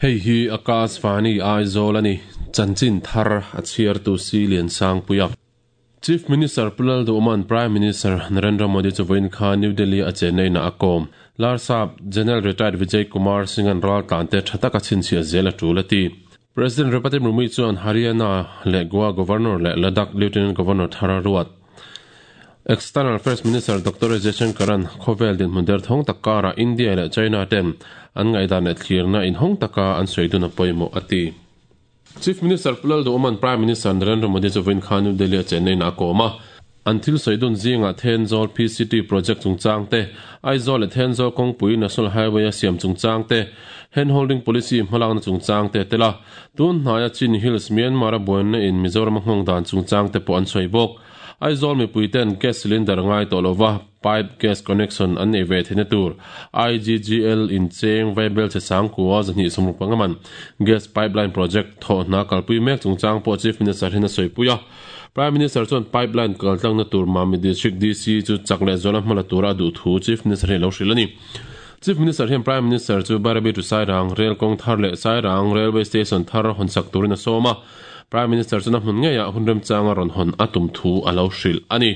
Hei hi Akashvani Aizawl a ni, chanchin thar a chhiartu Si Liansangpuia. Chief Minister Pu Lalduhman Prime Minister Narendra Modi chu vawiin khan New Delhi a chenna inah a kawm. Larsap General Retired Vijay Kumar Singh-a'n raltlante tha taka chhinchhiah zel a tul a ti. President Draupadi Murmu chuan Haryana leh Goa Governor leh Ladakh Lieutenant Governor thar a ruat. External Affairs Minister Doctor S Jaishankar-a'n khawvel dinhmun derthawng tak karah India leh China ten an ngaihdan leh thlirna inhawng taka an sawi dun a pawimawh a ti. Chief Minister Pu Lalduhawma'n Prime Minister Narendra Modi chu vawiin khan New Delhi a chenna inah a kawm a. An thil sawi dun zingah Thenzawl PCT project chungchang te, Aizawl leh Thenzawl kawngpui National Highway a siam chungchang te, Hand Holding Policy hmalakna chungchang te a tel a. Tun hnaia Chin Hills, Myanmar a buaina in Mizoram a nghawng dan chungchang te pawh an sawi bawk. Aizawl mipuiten gas cylinder ngai tawh lova pipe gas connection an nei ve theihna tur IGGL in cheng vaibel che sangkua 265 man gas pipeline project thawh hna kalpui mek chungchang pawh Chief Minister hian a sawipui a. Prime Minister chuan pipeline kaltlangna tur Mamit District DC chu chak leh zuala hmala tura a duh thu Chief Minister hi a lo hrilh a ni. Chief Minister hian Prime Minister chu Bairabi to Sairang rel kawng thar leh Sairang Railway Station thar hawnsak turin a sawm a. Prime Minister chuan a hmun ngeiah hun remchanga rawn hawn a tum thu a lo hrilh a ni.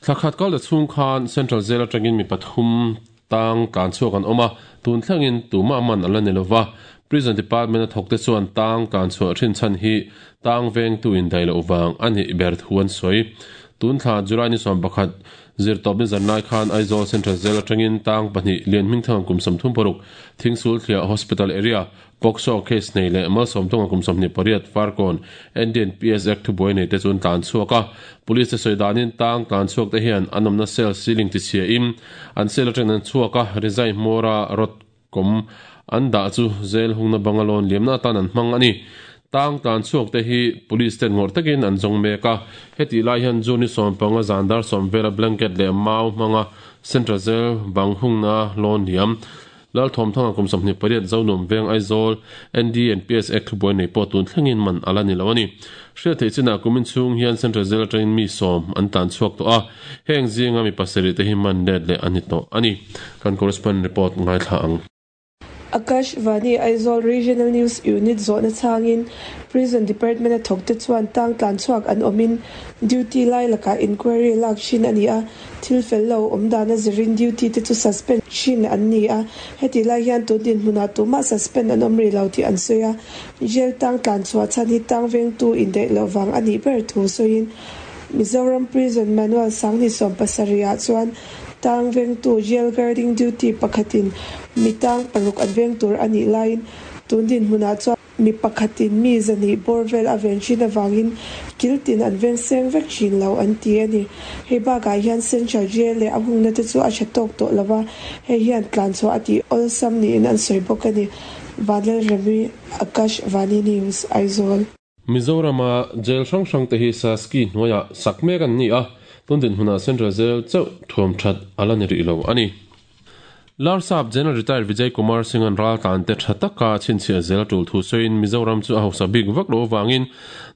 Thla khat kal ta chhung khan Central Jail atangin mi pathum tang tlan chhuak an awm a, tun thlengin tumah man a la ni lova. Prison Department a thawkte chuan tang tlan chhuah thin chhan hi tang vengtu indaih loh vang a nih ber thu an sawi. Tun thla July ni 11 Zirtawp ni zan lai khan Aizawl Central Jail atangin tang pahnih Lian Hmingthanga kum 36, Thingsul Thliah Hospital Area, POCSO case nei leh Malsawmtunga kum 28, Farkawn, Indian PS Act thubuai nei te chu an tlan chhuak a. Police te sawi danin tang tlan chhuak te hian an awmna cell ceiling tichhia in an cell atangin an chhuak a, rizai hmawra rod kawm an dah chu jail hungna banga lawn liamna atan an hmang a ni. Tang tlan chhuak te hi police ten ngawrh takin an zawng mek a, hetih lai hian June ni 15 zan dar sawm vela blanket leh mau hmanga Central Jail bang hungna lawn liam Lalthawmthanga kum 28 Zonuam Veng Aizawl ND and PS Act thubuai nei pawh tun thlengin man a la ni lo a ni. Hriat theih chinah kumin chhung hian Central Jail atangin mi sawm an tlan chhuak tawh a, heng zinga mi pasarih te hi man let leh a ni tawh a ni. Kan correspondent report ngaithla ang. Akashvani Aizawl Regional News Unit zawhna chhangin Prison Department a thawkte chuan tang tlan chhuak an awmin duty lai lakah inquiry lak thin a ni a, thil fel lo awm dana zirin duty te chu suspend thin an ni a, hetih lai hian tun dinhmunah tumah suspend an awm rih lo tih an sawi a, jail tang tlan chhuah chhan hi tang vengtu indaih loh vang a nih ber thu sawiin Mizoram Prison Manual Sangni 70 ah chuan Tang vengtu jail guarding duty pakhatin mi tang paruk an veng tur a nih laiin tun dinhmunah chuan mi pakhatin mi zahnih bawr vel a ven thin avangin kil tin an veng seng vek thin lo an ti a ni. Hei bakah hian Central Jail leh a hungna te chu a tha tawk tawh lo va, hei hian tlanchhuah a tih awlsam niin an sawi bawk a ni. Vanlalremi, Akash Vani News, Aizawl. Mizorama jail hrang hrang te hi Saski hnuaiah sak mek an ni a, tun dinhmunah Central Jail chauh thuam that a la ni rih lo a ni. Larsap General Retired Vijay Kumar Singh-a'n raltlan te tha taka chhinchhiah zel a tul thu sawiin Mizoram chu a hausa bik vak lo avangin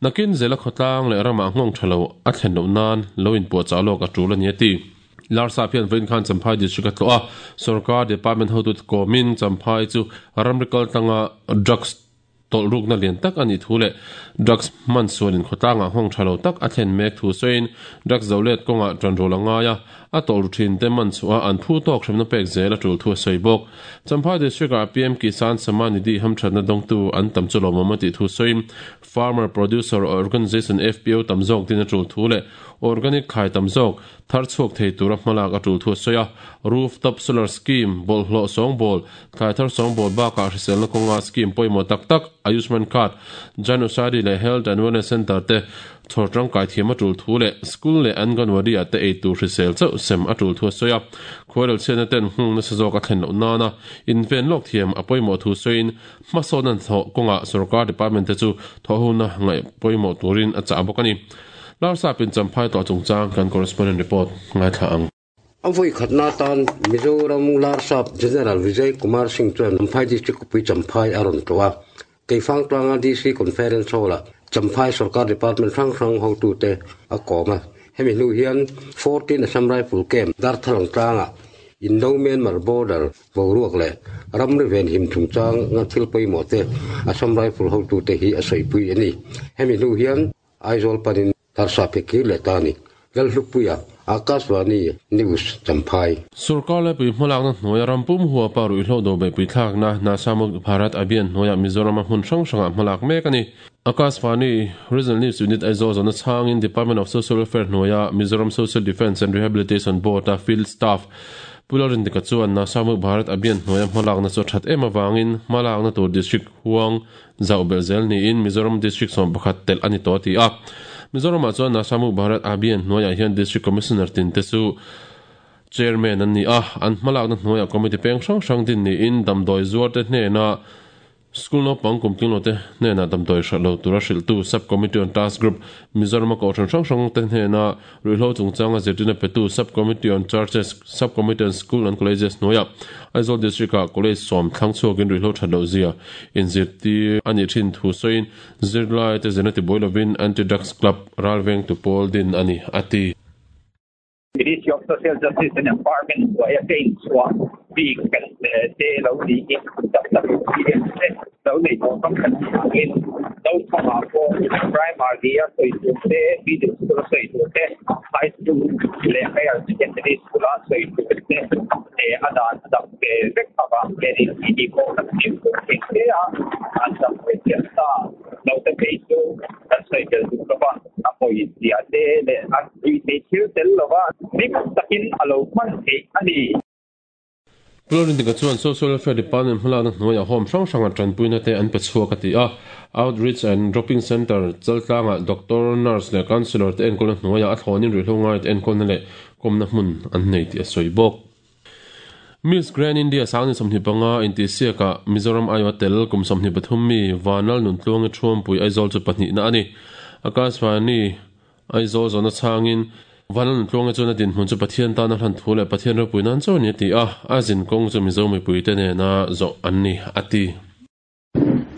nakin zela khawtlang leh ramah nghawng tha lo a thlen loh nan lo inpuahchah lawk a tul a ni a ti. Larsap hian vawiin khan Champhai District a tlawh a, sorkar department hotute kawmin Champhai chu ramri kaltlanga drugs Tawlh rukna lian tak a nih thu leh drugs hman sualin khawtlangah nghawng tha lo tak a thlen mek thu sawiin drugs zo let kawngah tan rul a ngai a, a tawlh ru thin te man chhuah a an phu tawk hremna pek zel a tul thu a sawi bawk. Champhai District ah PM Kisan Samman Nidhi hamthatna dawngtu an tam chu lawmawm a tih thu sawiin Farmer Producer Organization, FPO, tam zawk din a tul thu leh organic thlai tam zawk thar chhuak thei tura hmalak a tul thu a sawi a. Roof top solar scheme, bawlhhlawh sawngbawl, thlai thar sawngbawl bakah hriselna kawnga scheme pawimawh tak tak Ayushman Card, Jan Aushadhi leh Health and Wellness Centre te chhawr tangkai thiam a tul thu leh school leh Anganwadi ah te ei tur hrisel chauh sem a tul thu a sawi a. Khuairel chhiatna ten nghung nasa zawk a thlen loh nana inven lawk thiam a pawimawh thu sawiin hmasawnna hnathawh kawngah sorkar department te chu thawhhona ngaih pawimawh turin a chah bawk a ni. Larsap in Champhai tawh chungchang kan correspondent report ngaithla ang. A vawi khatna atan Mizoram Larsap General Vijay Kumar Singh chuan Champhai District khawpui Champhai a rawn tlawh a. Keifang tlanga DC Conference Hall-ah Champhai Sorkar Department hrang hrang hotute a kawm a. Hemi hnu hian 14 Assam Rifle Camp Darthalang tlangah. Indo-Myanmar border boruak leh ramri venhim chungchang nga thil pawimawh te Assam Rifle hotute hi a sawipui a ni. Hemi hnu hian Aizawl panin Darsa Pekir leh ta a ni. Lalhlukpuia, Akashvani News, Champhai. Sorkar laipui hmalakna hnuaia ram pum huapa ruihhlo do beihpui thlakna Nasha Mukt Bharat Abhiyan hnuaiah Mizorama hmun hrang hrangah hmalak mek a ni. Akashvani Regional News Unit Aizawl zawhna chhangin Department of Social Welfare hnuaia Mizoram Social Defence and Rehabilitation Board-a Field Staff Pu Lalrindika chuan Nasha Mukt Bharat Abhiyan hnuaia hmalakna chu a that em avangin hmalakna tur District huang Zauh belh zel niin Mizoram District 11 telh a ni tawh a ti a. Mizoramah chuan Nasha Mukh Bharat Abhiyan hnuaiah hian District Commissioner tin te chu Chairman an ni a, an hmalakna hnuaiah Committee peng hrang hrang din niin damdawi zuar te hnena School naupang kum tling lo te hnenah damdawi hralh lo tura hrilhtu Sub Committee on Task Group, Mizorama kohhran hrang hrang te hnena Ruihhlo chungchanga zirtirna petu Sub Committee on Churches, Sub Committee on School and Colleges hnuaiah Aizawl District-ah College sawm thlang chhuakin ruihhlo that loh zia inzirtir a nih thin thu sawiin zirlaite zirna tibuai lovin Anti-Drugs Club ralvengtu pawl din a ni, a ti. Ministry of Social Justice and Empowerment hnuaia ka inchhuah bik kan te lo niin tam tak experience te lo nei tawh tam kan ni angin naupangah pawh primary a sawi tur te, middle school a sawi tur te, high school leh higher secondary school a sawi tur te a dan a dang ve vek avang hianin tih pawh kan fimkhur thei hle a, an dang ve chiah ta. Naute phei chu kan sawi tel duh lo va, a pawi zia te leh a ruihtheih thil tel lova hlim takin a lo hman theih a ni. Pulorindika chuan Social Welfare Department hmalakna hnuaiah home hrang hranga tanpuina te an pe chhuak a ti a. Outreach and Dropping Centre chaltlangah Doctor, Nurse leh Counsellor te enkawlna hnuaiah a thlawnin ruihhlo ngaite enkawlna leh kawmna hmun an nei tih a sawi bawk. Miss Grand India sangni 25 intihsiakah Mizoram aiawha tel kum 23 mi Vanlal Nuntluangi Thuampui Aizawl chu pahnihna a ni. Akashvani Aizawl zawhna chhangin Vanlalun Tluange chuan a dinhmun chu Pathian tana hlan thu leh Pathian ropui nan chaw a ni a ti a, a zin kawng chu Mizo mipuite nena zawh an ni a ti.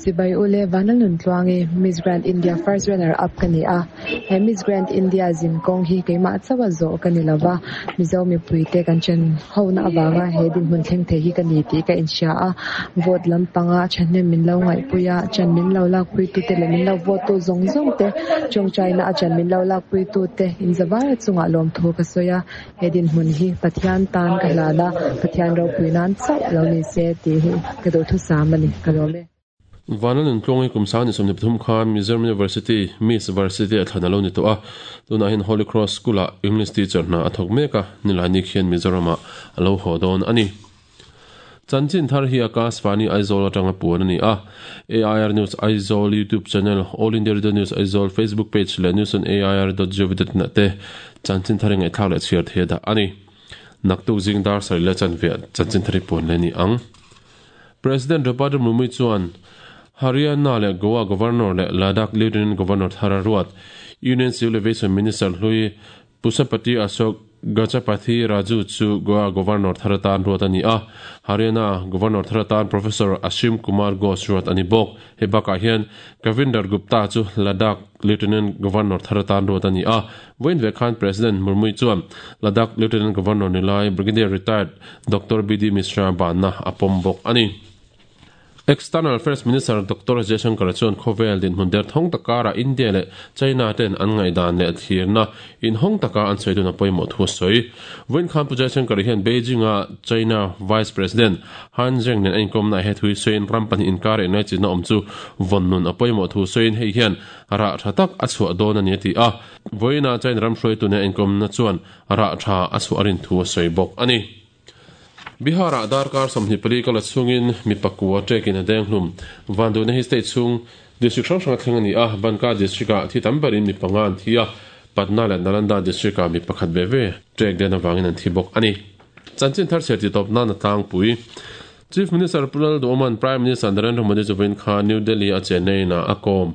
Chibai ule Vanlalun Tluange Miss Grand India First Runner Up ka ni a, he Miss Grand India zin kawng hi keimah chauha zawh ka ni lova, Mizo mipuite kan chen hona avanga he dinhmun thleng thei hi ka ni tih ka inhria a, vote lampanga thahnem min lo ngaihpui a, chan min lo lakpuitute leh min lo vote tu zawng zawng te, tawngtaina a chan min lo lakpuitute inzavaia chungah lawmthu ka sawi a, he dinhmun hi Pathian tan ka hlan a, Pathian ropui nan chauh lo ni se tih hi ka duhthusam a ni, ka lawm e. Vana Nuntluangi kum sang ni 23 khan Mizoram University Miss Varsity a thlan a lo ni tawh a, tunah hian Holy Cross School-ah English teacher hna a thawk mek a, Nilaini khian Mizoramah a lo haw dawn a ni. Chanchin thar hi Akashvani Aizawl atanga puan a ni a, AIR News Aizawl YouTube channel, All India Radio News Aizawl Facebook page leh news on air dot gov dot in ah te chanchin thar i ngaihthlak leh chhiar thei a dah a ni. Naktuk zing dar sarih leh chanve ah chanchin thar hi puan leh a ni ang. President Draupadi Murmu chuan Haryana leh Goa Governor leh Ladakh Lieutenant Governor thar a ruat. Union Civil Aviation Minister hlui Pusapati Ashok Gajapathy Raju chu Goa Governor thar atan ruat a ni a, Haryana Governor thar atan Professor Ashim Kumar Ghosh ruat a ni bawk. Hei bakah hian Kavinder Gupta chu Ladakh Lieutenant Governor thar atan ruat a ni a. Vawiin ve khan President Murmu chuan Ladakh Lieutenant Governor ni lai Brigadier Retired Doctor BD Mishra banna a pawm bawk a ni. External Affairs Minister Doctor Jaishankar chuan khawvel dinhmun derthawng tak karah India leh China ten an ngaihdan leh thlirna inhawng taka an sawi dun a pawimawh thu a sawi. Vawiin khan Pu Jaishankar hian Beijing-a China Vice President Han Zheng nen a inkawmnaah he thu hi sawiin ram pahnih inkar engngai chinna awm chu vawn nun a pawimawh thu sawiin hei hian rah tha tak a chhuah dawn a ni a ti a. Vawiina China ram hruaitu nen a inkawmna chuan rah tha a chhuah a rin thu a sawi bawk a ni. Bihar-ah darkar 24 kal a chhungin mi pakua ṭekin a deng hlum. Vanduhna hi state chhung district hrang hrang a thleng a ni a, Banka district-ah thi tam berin mi panga an thi a, Patna leh Nalanda district-ah mi pakhat ve ve ṭek den avangin an thi bawk a ni. Chanchin thar chhiar tih tawp nan a tlangpui. Chief Minister Pu Lalduhawma'n Prime Minister Narendra Modi chu vawiin kha New Delhi-a Chennai inah a kawm.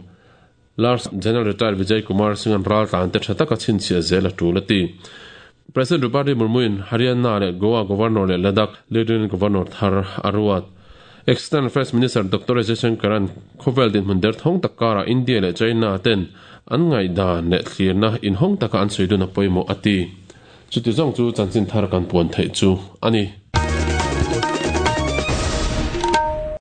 Lars General Retired Vijay Kumar Singh-a'n raltlan te tha taka chhinchhiah zel a tul a ti. President Draupadi Murmu-in Haryana leh Goa Governor leh Ladakh Lieutenant Governor thar a ruat. External Affairs Minister Doctor S Jaishankar-a'n khawvel dinhmun derthawng tak karah India leh China ten an ngaihdan leh thlirna inhawng taka an sawi dun a pawimawh a ti. Chuti zawng chu chanchin thar kan puan theih chu a ni.